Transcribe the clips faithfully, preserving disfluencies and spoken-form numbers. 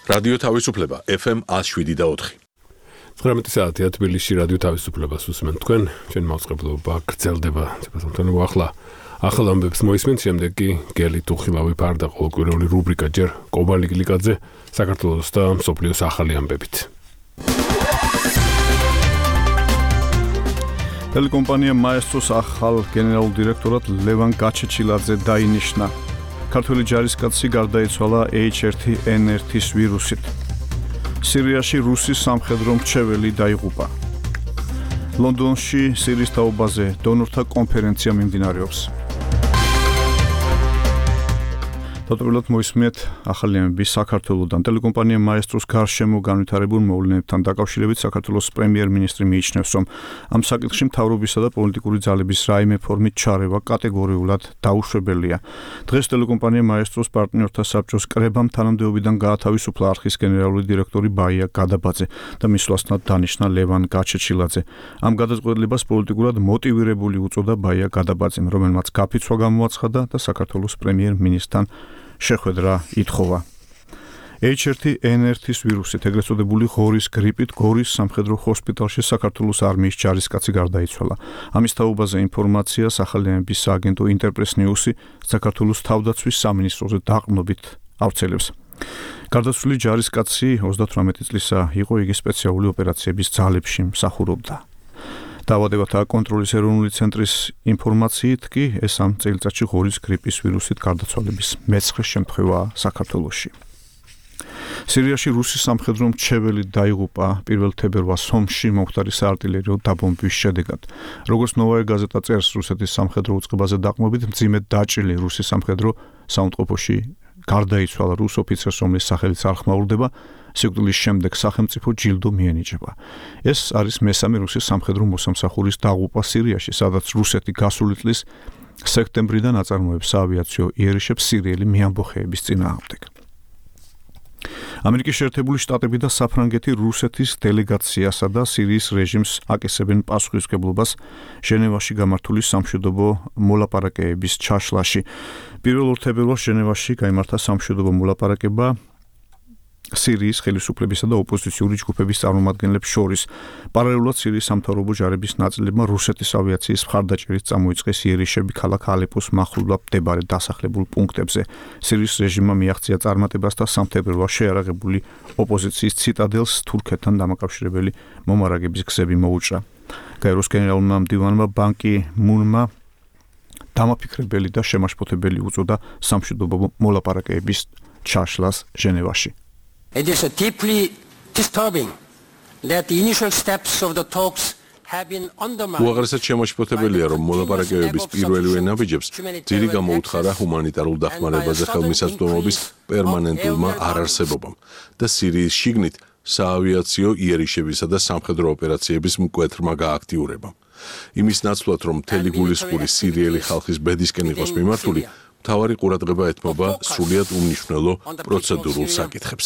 რადიო თავისუფლება ეფ ემ ათს შვიდი და ოთხი. ცხრამეტი საათია თბილისში რადიო თავისუფლებას უსმენთ თქვენ. ჩვენ მაუწყებლობა გრძელდება. ცოტა ახლა ახალ ამბებს მოისმენთ, შემდეგ კი გელი ტუხილავი ფარდა ყოველკვირეული რუბრიკა ჯერ კობალი გლიკაძე საქართველოს და მსოფლიოს ახალი ამბებით. ტელეკომპანია მაესტროს ახალ გენერალურ დირექტორად ლევან გაჩეჩილაძე დაინიშნა. ქართველი ჯარისკაცი გარდაიცვალა ეიჩ ერთი ენ ერთის ვირუსით. სირიაში რუსის სამხედრო მრჩეველი დაიღუპა. ლონდონში სირიის თაობაზე დონორთა კონფერენცია მიმდინარეობს. დატოვებულად მოისმენთ ახალი ამბები საქართველოსთან. ტელეკომპანია მაესტროს გარშემო განვითარებულ მოვლენებთან დაკავშირებით საქართველოს პრემიერ-მინისტრი მიიჩნევს, რომ ამ საკითხში მთავრობისა და პოლიტიკური ძალების რაიმე ფორმით ჩარევა კატეგორიულად დაუშვებელია. დღეს ტელეკომპანია მაესტროს პარტნიორთა საბჭოს კრებამ თანამდებობიდან გაათავისუფლა არხის გენერალური დირექტორი ბაია გადაბაძე და მის ვასთან დანიშნა ლევან გაჩეჩილაძე. ამ გადაწყვეტილებას პოლიტიკურად მოტივირებული უწოდა ბაია გადაბაძემ, რომელმაც გაფიცვა გამოაცხადა და საქართველოს პრემიერ-მინისტრთან შეხვედრა ითხოვა. ეიჩ ერთი ენ ერთის ვირუსით, ეგრეთ წოდებული ღორის გრიპით, გორის სამხედრო ჰოსპიტალში საქართველოს არმიის ჯარისკაცი გარდაიცვალა. ამის თაობაზე ინფორმაციას ახალი ამბების სააგენტო ინტერპრეს ნიუსი საქართველოს თავდაცვის სამინისტროზე დაყრდნობით ავრცელებს. გარდაცვლილი ჯარისკაცი ოცდათვრამეტი წლისა იყო, იგი სპეციალური ოპერაციების ძალებში მსახურობდა. დაავადებათა კონტროლის ეროვნული ცენტრის ინფორმაციით კი ეს ამ წელიწადში ღორის გრიპის ვირუსით გარდაცვალების მეცხრე შემთხვევაა საქართველოში. სირიაში რუსის სამხედრო მრჩეველი დაიღუპა პირველ თებერვალს ომში მომხდარი საარტილერიო დაბომბვის შედეგად. როგორც ნოვაია გაზეტა წერს, რუსეთის სამხედრო უწყებაზე დაყრდნობით მძიმედ დაჭრილი რუსის სამხედრო საუნტყოფოში გარდაიცვალა რუს ოფიცერს, რომლის სახელიც არ ხმაურდება. სიკვდილის შემდეგ სახელმწიფო ჯილდო მიენიჭება. ეს არის მესამე რუსის სამხედრო მოსამსახურის დაღუპვა სირიაში, სადაც რუსეთი გასული წლის სექტემბრიდან აწარმოებს საავიაციო იერიშებს სირიელი მიამბოხეების წინააღმდეგ. ამერიკის შეერთებული შტატები და საფრანგეთი რუსეთის დელეგაციასა და სირიის რეჟიმს აკისრებენ პასუხისმგებლობას ჟენევაში გამართული სამშვიდობო მოლაპარაკებების ჩაშლაში. პირველ თებერვალს ჟენევაში გაიმართა სამშვიდობო მოლაპარაკება სირიის ხელისუფლებისა და ოპოზიციური ჯგუფების წარმომადგენლებს შორის. პარალელურად სირიის სამთავრობო ჯარების ნაწილებმა რუსეთის ავიაციის მხარდაჭერით წამოიწყეს იერიშები ქალაქ ალეპოს მახლობლად მდებარე დასახლებულ პუნქტებზე. სირიის რეჟიმმა მიაღწია წარმატებას და სამი თებერვალს შეარაღებული ოპოზიციის ციტადელს თურქეთთან დამაკავშირებელი მომარაგების გზები მოუჭრა. გაეროს გენერალურმა მდივანმა ბან კი მუნმა დამაფიქრებელი და შემაშფოთებელი უწოდა სამშვიდობო მოლაპარაკებების ჩაშლას ჟენევაში. It is deeply disturbing that the initial steps of the talks have been undermined. უაღრესად შემაშფოთებელია, რომ მოლაპარაკებების პირველივე ნაბიჯებს ძირი გამოუთხარა ჰუმანიტარულ დახმარებაზე ხელმისაწვდომობის პერმანენტულმა არარსებობამ და სირიის შიგნით საავიაციო იერიშებისა და სამხედრო ოპერაციების მკვეთრმა გააქტიურებამ. იმის ნაცვლად, რომ მთელი გულისხმული სირიელი ხალხის ბედისკენ იყოს მიმართული, მთავარი ყურადღება ეთმობა სრულიად უმნიშვნელო პროცედურულ საკითხებს.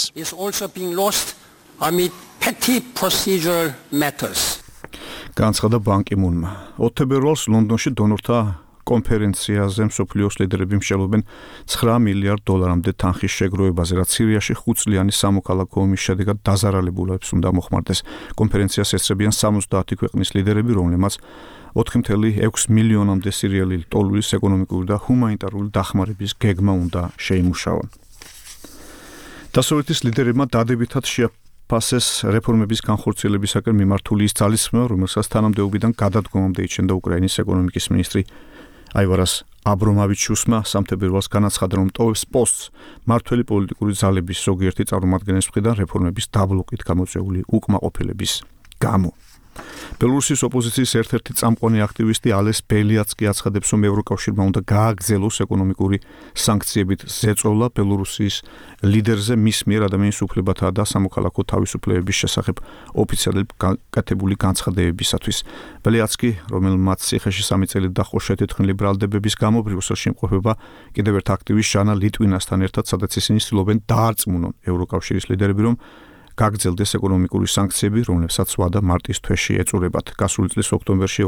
განცხადა ბან კი მუნმა. ოთხ თებერვალს ლონდონში დონორთა კონფერენციაზე მსოფლიოს ლიდერები მსჯელობენ ცხრა მილიარდ დოლარამდე თანხის შეგროვებაზე, რაც სირიაში ხუთწლიანი სამოქალაქო ომის შედეგად დაზარალებულებს უნდა მოხმარდეს. კონფერენციას ესწრებიან სამოცდაათი ქვეყნის ლიდერები, რომლებმაც ოთხი კoma ექვსი მილიონამდე სირიელი ტოლურის ეკონომიკური და ჰუმანიტარული დახმარების გეგმა უნდა შეიმუშაონ. დასავლეთის ლიდერებმა დადებითად შეაფასეს რეფორმების განხორციელებისაკენ მიმართული ის ძალისხმევა, რომელსაც თანამდებობიდან გადადგომამდე იჩენდა უკრაინის ეკონომიკის მინისტრი აივარას აბრომავიჩუსმა სამი თებერვალს განაცხადა, რომ ტოვებს პოსტს მართველი პოლიტიკური ძალების ზოგიერთი წარმომადგენლის მხრიდან რეფორმების დაბლოკით გამოწვეული უკმაყოფილების გამო. ბელორუსის ოპოზიციის ერთ-ერთი წამყვანი აქტივისტი ალეს ბელიაც კი აცხადებს, რომ ევროკავშირმა უნდა გააგრძელოს ეკონომიკური სანქციებით ზეწოლა ბელორუსის ლიდერზე მის მიერ ადამიანის უფლებათა და სამოქალაქო თავისუფლებების შესახებ ოფიციალურად გაკეთებული განცხადებებისათვის. ბელიაც კი, რომელმაც ციხეში სამი წელი დაჰყო შეთეთხმილი ბრალდებების გამო, ბრიუსელში იმყოფება კიდევ ერთ აქტივისტ ჟანა ლიტვინასთან ერთად, სადაც ისინი ცდილობენ დაარწმუნონ ევროკავშირის ლიდერები, რომ გაგრძელდეს ეკონომიკური სანქციები, რომლებსაც ვადა მარტის თვეში ეწურებათ. გასული წლის ოქტომბერში